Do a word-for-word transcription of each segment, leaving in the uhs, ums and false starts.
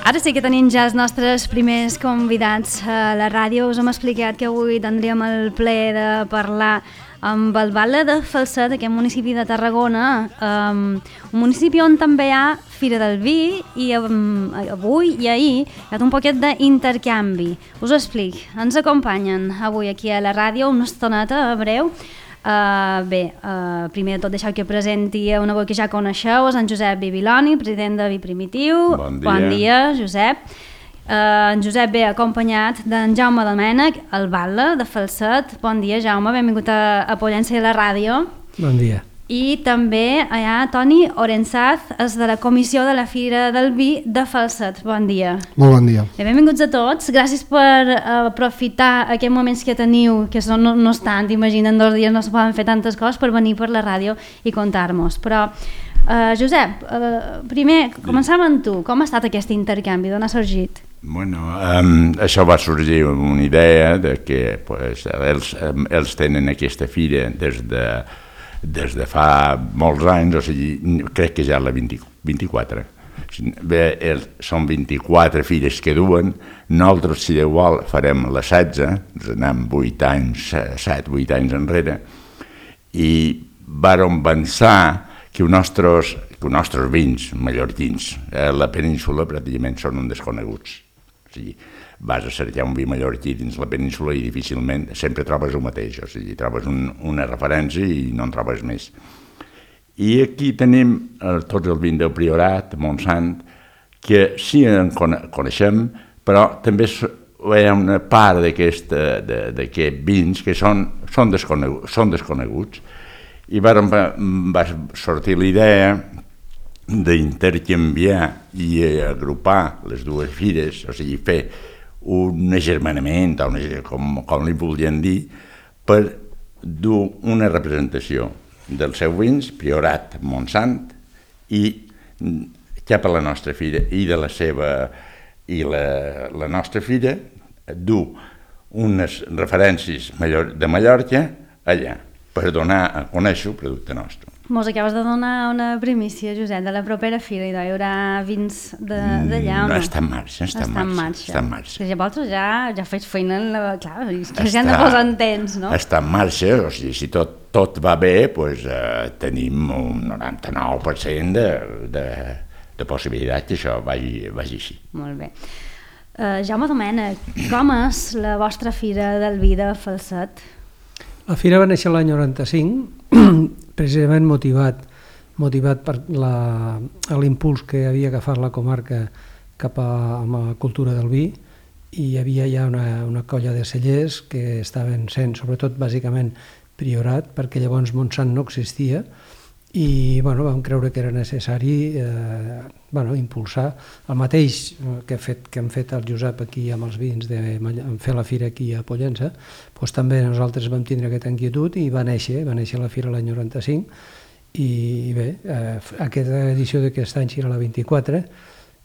Ara sí que tenim ja els nostres primers convidats a la ràdio. Us hem explicat que avui tindríem el plaer de parlar amb el Batlle de Falset, aquest municipi de Tarragona, um, un municipi on també hi ha Fira del Vi i um, avui i ahir hi ha un poquet d'intercanvi. Us ho explic. Ens acompanyen avui aquí a la ràdio una estoneta breu. Uh, bé, uh, primer de tot deixeu que presenti una veu que ja coneixeu, és en Josep Bibiloni, president de Vi Primitiu. Bon dia. Bon dia, Josep. Uh, en Josep ve acompanyat d'en Jaume Domènech, el Batlle de Falset. Bon dia, Jaume, benvingut a, a Pollença i la ràdio. Bon dia. I també hi ha Toni Orenzaz, és de la comissió de la Fira del Vi de Falset. Bon dia. Molt bon dia. Bé, benvinguts a tots. Gràcies per uh, aprofitar aquests moments que teniu, que són, no, no és tant, imaginen, dos dies no es poden fer tantes coses, per venir per la ràdio i contar-nos. Però, uh, Josep, uh, primer, començàvem amb tu. Com ha estat aquest intercanvi? D'on ha sorgit? Bueno, um, això va sorgir una idea de que pues, ells, um, ells tenen aquesta fira des de des de fa molts anys, o sigui, crec que ja la vint, vint-i-quatre. Bé, el, són vint-i-quatre fires que duen, nosaltres, si Déu vol, farem la setze, ens anem vuit anys, set, vuit anys enrere, i vàrem pensar que els nostres, que els nostres vins mallorquins a la península pràcticament són un desconeguts. O sigui, vas a cercar un vi mallorquí dins la península i difícilment sempre trobes el mateix, o sigui, trobes un, una referència i no en trobes més. I aquí tenim eh, tots els vins del Priorat, Montsant, que sí en coneixem, però també hi ha una part d'aquests vins que són, són, desconeguts, són desconeguts. I va, va sortir la idea d'intercanviar i agrupar les dues fires, o sigui, fer un agermanament, o una, com, com li volien dir, per dur una representació dels seus vins, Priorat, Montsant, i cap a la nostra fira, i de la seva, i la, la nostra fira, dur unes referències de Mallorca allà, per donar a conèixer el producte nostre. Mos acabes de donar una primícia, Josep, de la propera fira, i hi haurà vins d'allà o no? Està en marxa, està en marxa. Està en marxa. Que llavors ja, ja faig feina, la, clar, que ja han de posar en temps, no? Està en marxa, o sigui, si tot, tot va bé, doncs, eh, tenim un noranta-nou per cent de, de, de possibilitat que això vagi, vagi així. Molt bé. Uh, Jaume Domènech, com és la vostra fira del vi de Falset? La fira va néixer l'any noranta-cinc, precisament motivat, motivat per l'impuls que havia agafat la comarca cap a, a la cultura del vi, i hi havia ja una, una colla de cellers que estaven sent, sobretot, bàsicament, Priorat, perquè llavors Montsant no existia, i bueno, vam creure que era necessari eh, bueno, impulsar el mateix que, fet, que hem fet el Josep aquí amb els vins, de fer la fira aquí a Pollença, doncs també nosaltres vam tindre aquesta inquietud i va néixer, va néixer la fira l'any noranta-cinc, i bé, eh, aquesta edició d'aquest any serà la vint-i-quatre,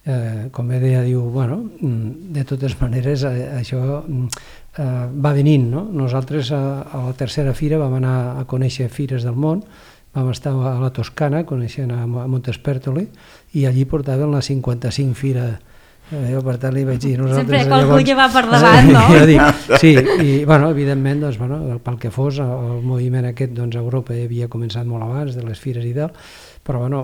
eh, com bé deia, diu, bueno, de totes maneres eh, això eh, va venint, no? Nosaltres a, a la tercera fira vam anar a conèixer fires del món, vam estar a la Toscana, coneixent a Montespertoli, i allí portaven la cinquanta-cinc fira. Eh, jo per tant li vaig dir... Sempre qualcú que va per davant, no? Jo dic, sí, i bueno, evidentment, doncs, bueno, pel que fos, el moviment aquest doncs, a Europa havia començat molt abans de les fires i tal, però bueno,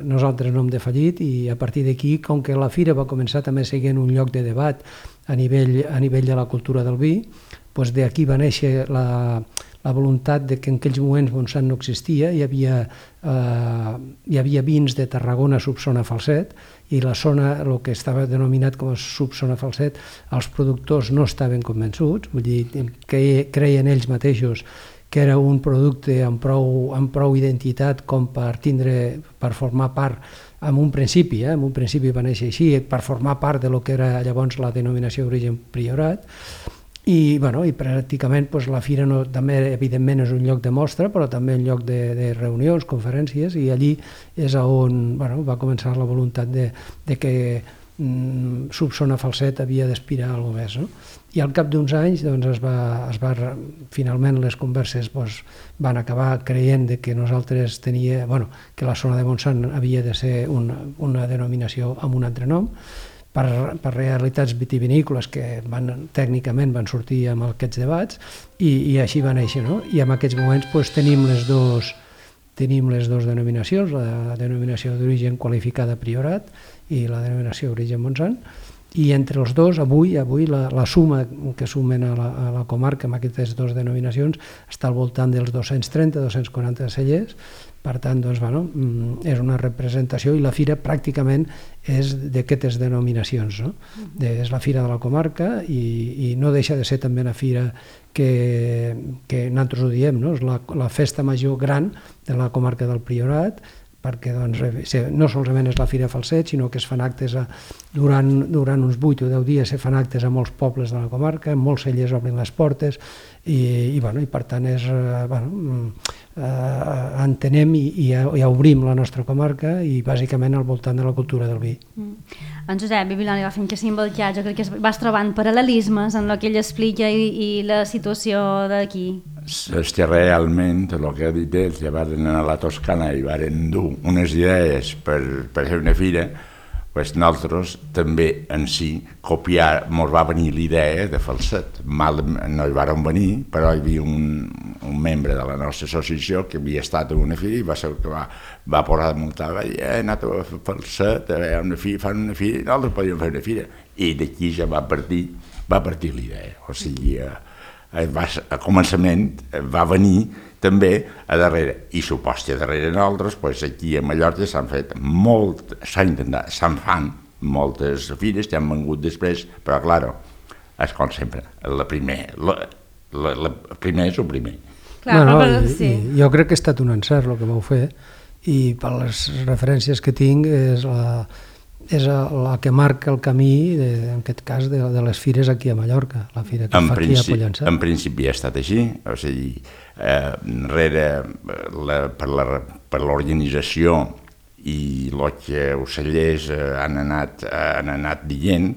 nosaltres no hem defallit, i a partir d'aquí, com que la fira va començar també sent un lloc de debat a nivell, a nivell de la cultura del vi, doncs d'aquí va néixer la... la voluntat de que en aquells moments Montsant no existia, hi havia, eh, hi havia vins de Tarragona subzona Falset, i la zona, el que estava denominat com a subzona Falset, els productors no estaven convençuts, vull dir, que creien ells mateixos que era un producte amb prou, amb prou identitat com per tindre, per formar part, en un principi, eh, en un principi va néixer així, per formar part de lo que era llavors la denominació d'origen Priorat. I, bueno, i pràcticament doncs, la fira no, també evidentment és un lloc de mostra, però també un lloc de, de reunions, conferències, i allí és on bueno, va començar la voluntat de, de que mm, subzona Falset havia d'aspirar a alguna cosa més. No? I al cap d'uns anys doncs, es va, es va, finalment les converses doncs, van acabar creient de que nosaltres tenia, bueno, que la zona de Montsant havia de ser una, una denominació amb un altre nom, per, per realitats vitivinícoles que van, tècnicament van sortir amb aquests debats i, i així va néixer, no? I en aquests moments pues, tenim les dos tenim les dues denominacions, la denominació d'origen qualificada Priorat i la denominació d'origen Montsant, i entre els dos, avui, avui la, la suma que sumen a la, a la comarca amb aquestes dues denominacions està al voltant dels dos-cents trenta a dos-cents quaranta cellers. Per tant, doncs, bueno, és una representació i la fira pràcticament és d'aquestes denominacions, no? De, és la fira de la comarca i, i no deixa de ser també una fira que, que nosaltres ho diem, no? És la, la festa major gran de la comarca del Priorat, perquè doncs, no solament és la Fira Falset, sinó que es fan actes a, durant, durant uns vuit o deu dies se fan actes a molts pobles de la comarca, molts cellers obren les portes i, i, bueno, i per tant és, bueno, eh, entenem i, i, i obrim la nostra comarca i bàsicament al voltant de la cultura del vi. Mm. En Josep Bibiloni va fent que s'involcar, jo crec que vas trobant paral·lelismes en el que ell explica i, i la situació d'aquí. És que realment el que ha dit ells, ja van anar a la Toscana i van dur unes idees per, per fer una fira, pues nosaltres també en si copiar, ens va venir l'idea de Falset. Mal, no hi vàrem venir, però hi havia un, un membre de la nostra associació que havia estat a una fira i va ser que va, va posar de muntar, va dir, he anat a Falset, a veure una fira, fan una fira, nosaltres podíem fer una fira. I d'aquí ja va partir, va partir l'idea, o sigui, va, a començament va venir també a darrere, i suposta a darrere nosaltres, pues aquí a Mallorca s'han fet molt, s'han intentat, se'n fan moltes fires que han vengut després, però clar, és com sempre, la primer, la, la, la primer és el primer. Clar, no, no, però, i, sí. i jo crec que ha estat un encert el que vau fer, i per les referències que tinc és la, és la que marca el camí, de, en aquest cas, de, de les fires aquí a Mallorca, la fira que en fa aquí a Pollença. En principi ha estat així, o sigui, eh, rere la, per la, per l'organització i el que els cellers eh, han, anat, eh, han anat dient,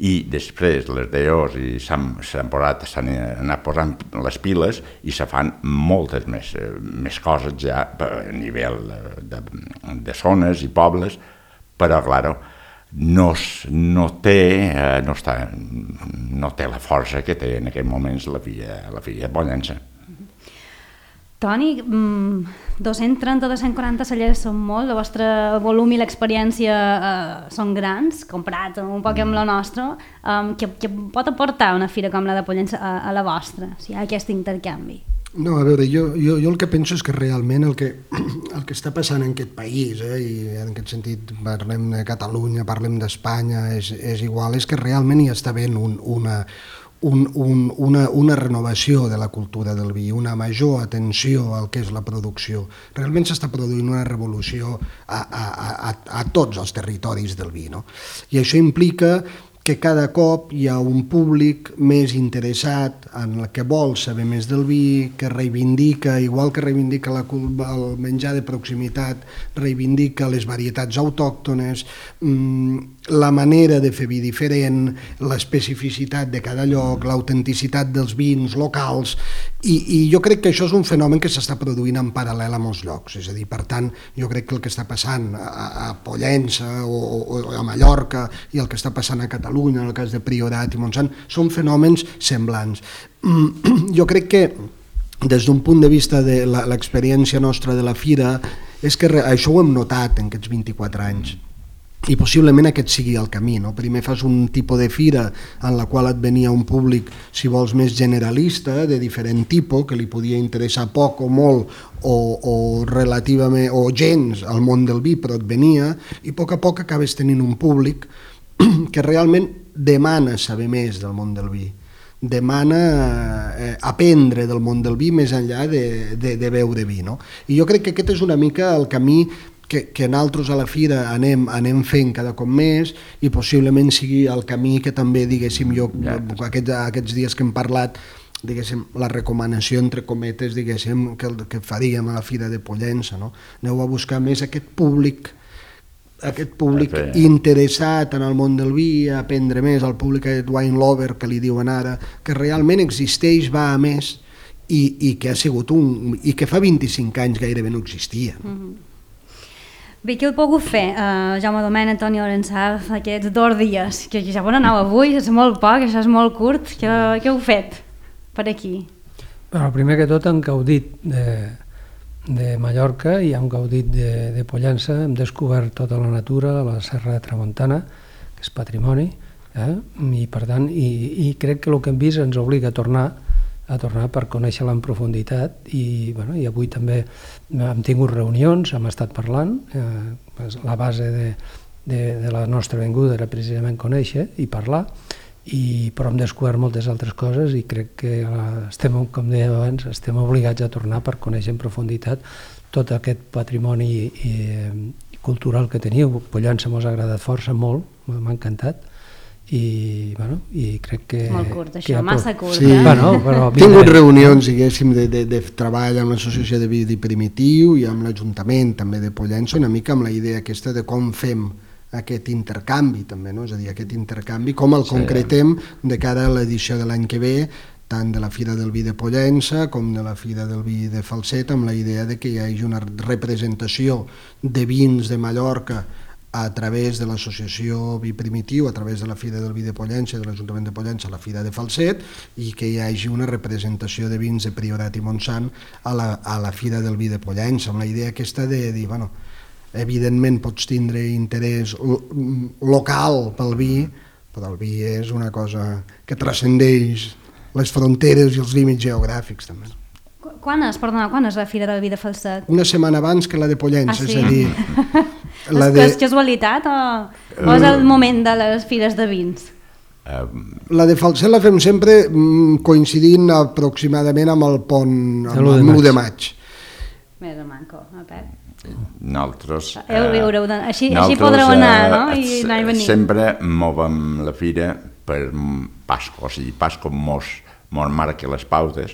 i després les D Os s'han posat, s'han anat posant les piles i se fan moltes més, més coses ja a nivell de, de zones i pobles, però, clar, no, no, té, no, està, no té la força que té en aquests moments la filla, la filla de Pollença. Toni, dos-cents trenta a dos-cents quaranta cellers són molt, el vostre volum i l'experiència eh, són grans, comparat un poc amb la nostra. Um, què, què pot aportar una fira com la de Pollença a, a la vostra, si hi ha aquest intercanvi? No, a veure, jo, jo, jo el que penso és que realment el que, el que està passant en aquest país, eh, i en aquest sentit parlem de Catalunya, parlem d'Espanya, és, és igual, és que realment hi està havent un, una, un, un, una, una renovació de la cultura del vi, una major atenció al que és la producció. Realment s'està produint una revolució a, a, a, a tots els territoris del vi, no? I això implica que cada cop hi ha un públic més interessat en el que vol saber més del vi, que reivindica, igual que reivindica la, el menjar de proximitat, reivindica les varietats autòctones, mmm, la manera de fer vi diferent, l'especificitat de cada lloc, l'autenticitat dels vins locals, i, i jo crec que això és un fenomen que s'està produint en paral·lel a molts llocs. És a dir, per tant, jo crec que el que està passant a, a Pollença o, o a Mallorca i el que està passant a Catalunya, en el cas de Priorat i Montsant, són fenòmens semblants. Jo crec que des d'un punt de vista de l'experiència nostra de la fira, és que això ho hem notat en aquests vint-i-quatre anys. I possiblement aquest sigui el camí, no? Primer fas un tipus de fira en la qual et venia un públic, si vols, més generalista, de diferent tipus, que li podia interessar poc o molt o, o relativament o gens al món del vi, però et venia, i a poc a poc acabes tenint un públic que realment demana saber més del món del vi, demana eh, aprendre del món del vi més enllà de, de, de beure vi, no? I jo crec que aquest és una mica el camí que, que nosaltres a la fira anem, anem fent cada cop més, i possiblement sigui el camí que també, diguéssim, jo aquests, aquests dies que hem parlat, diguéssim, la recomanació entre cometes, diguéssim, que, que faríem a la fira de Pollença, no? Aneu a buscar més aquest públic, aquest públic interessat en el món del vi, a aprendre més, el públic aquest wine lover que li diuen ara, que realment existeix, va a més, i, i que ha sigut un, i que fa vint-i-cinc anys gairebé no existia. Mm-hmm. Bé, què heu pogut fer, uh, Jaume Domènech, Toni Orensaf, aquests dos dies? Que ja on aneu avui, és molt poc, això és molt curt. Què, què heu fet per aquí? Bueno, primer que tot hem gaudit de, de Mallorca i hem gaudit de, de Pollença, hem descobert tota la natura, la Serra de Tramuntana, que és patrimoni, eh? I per tant, i, i crec que el que hem vist ens obliga a tornar a tornar per conèixer-la en profunditat i, bueno, i avui també hem tingut reunions, hem estat parlant, eh, la base de, de, de la nostra venguda era precisament conèixer i parlar, i, però hem descobert moltes altres coses i crec que estem, com deia abans, estem obligats a tornar per conèixer en profunditat tot aquest patrimoni i, i cultural que teniu. Pollença mos ha agradat força, molt, m'ha encantat. I, bueno, i crec que... Molt curt, això, que massa curt. Sí, eh? bueno, però... He tingut reunions, diguéssim, de, de, de treball amb l'Associació de Vidi Primitiu i amb l'Ajuntament també de Pollença, una mica amb la idea aquesta de com fem aquest intercanvi també, no? És a dir, aquest intercanvi, com el concretem de cara a l'edició de l'any que ve, tant de la Fira del Vi de Pollença com de la Fira del Vi de Falset, amb la idea de que hi hagi una representació de vins de Mallorca a través de l'associació Vi Primitiu, a través de la Fira del Vi de Pollença i de l'Ajuntament de Pollença, a la Fira de Falset, i que hi hagi una representació de vins de Priorat i Montsant a la, a la Fira del Vi de Pollença, amb la idea aquesta de dir, bueno, evidentment pots tindre interès local pel vi, però el vi és una cosa que transcendeix les fronteres i els límits geogràfics també. Quan és, perdona, quan és la Fira del Vi de Falset? Una setmana abans que la de Pollença, ah, sí? és a dir... La de... És casualitat o, o és el moment de les fires de vins? La de Falset la fem sempre coincidint aproximadament amb el pont, amb l'u de maig. Més o manco, a Pep. Nosaltres... Heu, heu, així, així podreu anar, no? I anar i venir. Sempre movem la fira per Pasco, o sigui, Pasco mos, mos marca les pautes,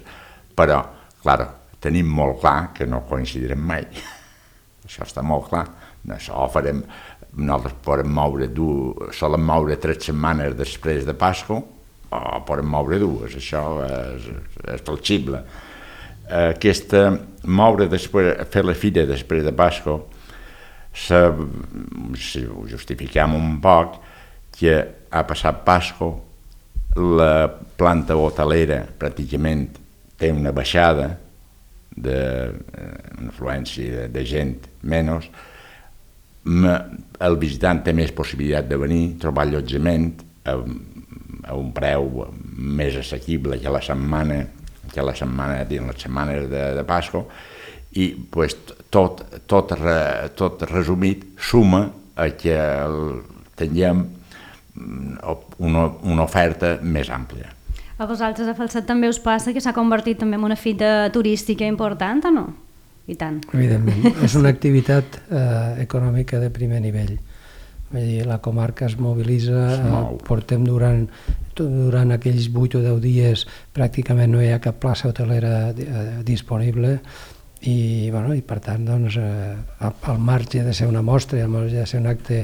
però, clar, tenim molt clar que no coincidirem mai. Això està molt clar. Això ho farem, nosaltres podem moure, solen moure tres setmanes després de Pasco, o podem moure dues, això és, és flexible. Aquesta, moure després, fer la fira després de Pasco, se, si ho justifiquem un poc, que ha passat Pasco, la planta hotelera pràcticament té una baixada, de, una afluència de, de gent menys, el visitant té més possibilitat de venir, trobar allotjament a, a un preu més assequible que la setmana, que la setmana, dins les setmanes de, de Pasco, i pues, tot, tot, re, tot resumit suma a que el, tinguem una, una oferta més àmplia. A vosaltres a Falset també us passa que s'ha convertit també en una fita turística important o no? I tant. Evidentment, és una activitat eh, econòmica de primer nivell. Vull dir, la comarca es mobilitza, eh, portem durant, durant aquells vuit o deu dies pràcticament no hi ha cap plaça hotelera eh, disponible i, bueno, i per tant doncs, eh, al marge de ser una mostra i al marge de ser un acte,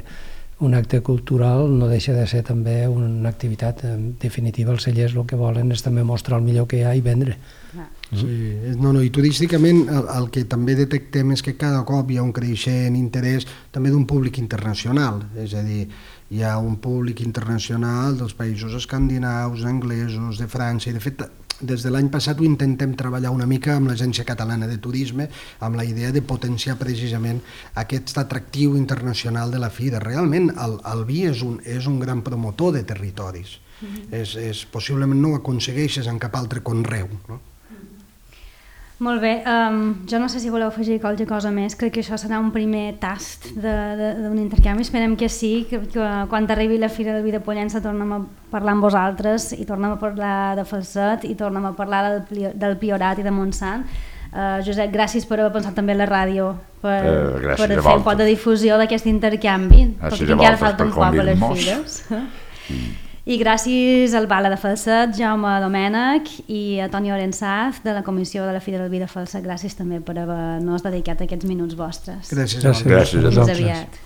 un acte cultural no deixa de ser també una activitat. En definitiva els cellers el que volen és també mostrar el millor que hi ha i vendre. Ah. Sí, no, no, i turísticament el, el que també detectem és que cada cop hi ha un creixent interès també d'un públic internacional, és a dir, hi ha un públic internacional dels països escandinaus, anglesos, de França, i de fet des de l'any passat ho intentem treballar una mica amb l'Agència Catalana de Turisme amb la idea de potenciar precisament aquest atractiu internacional de la fira. Realment el, el vi és un, és un gran promotor de territoris, mm-hmm. és, és, possiblement no ho aconsegueixes en cap altre conreu, no? Molt bé, um, jo no sé si voleu afegir qualque cosa més, crec que això serà un primer tast d'un intercanvi, esperem que sí, que, que quan arribi la Fira del Vi de Pollença tornem a parlar amb vosaltres i tornem a parlar de Falset i tornem a parlar del, del Priorat i de Montsant. Uh, Josep, gràcies per haver pensat també a la ràdio, per, uh, per fer un pot de difusió d'aquest intercanvi, perquè encara falta un poc a les fires. I gràcies al Bala de Falset, Jaume Domènech i a Toni Orensaf de la Comissió de la Fira del Vi de Falset. Gràcies també per haver-nos dedicat aquests minuts vostres. Gràcies. Gràcies. Fins aviat.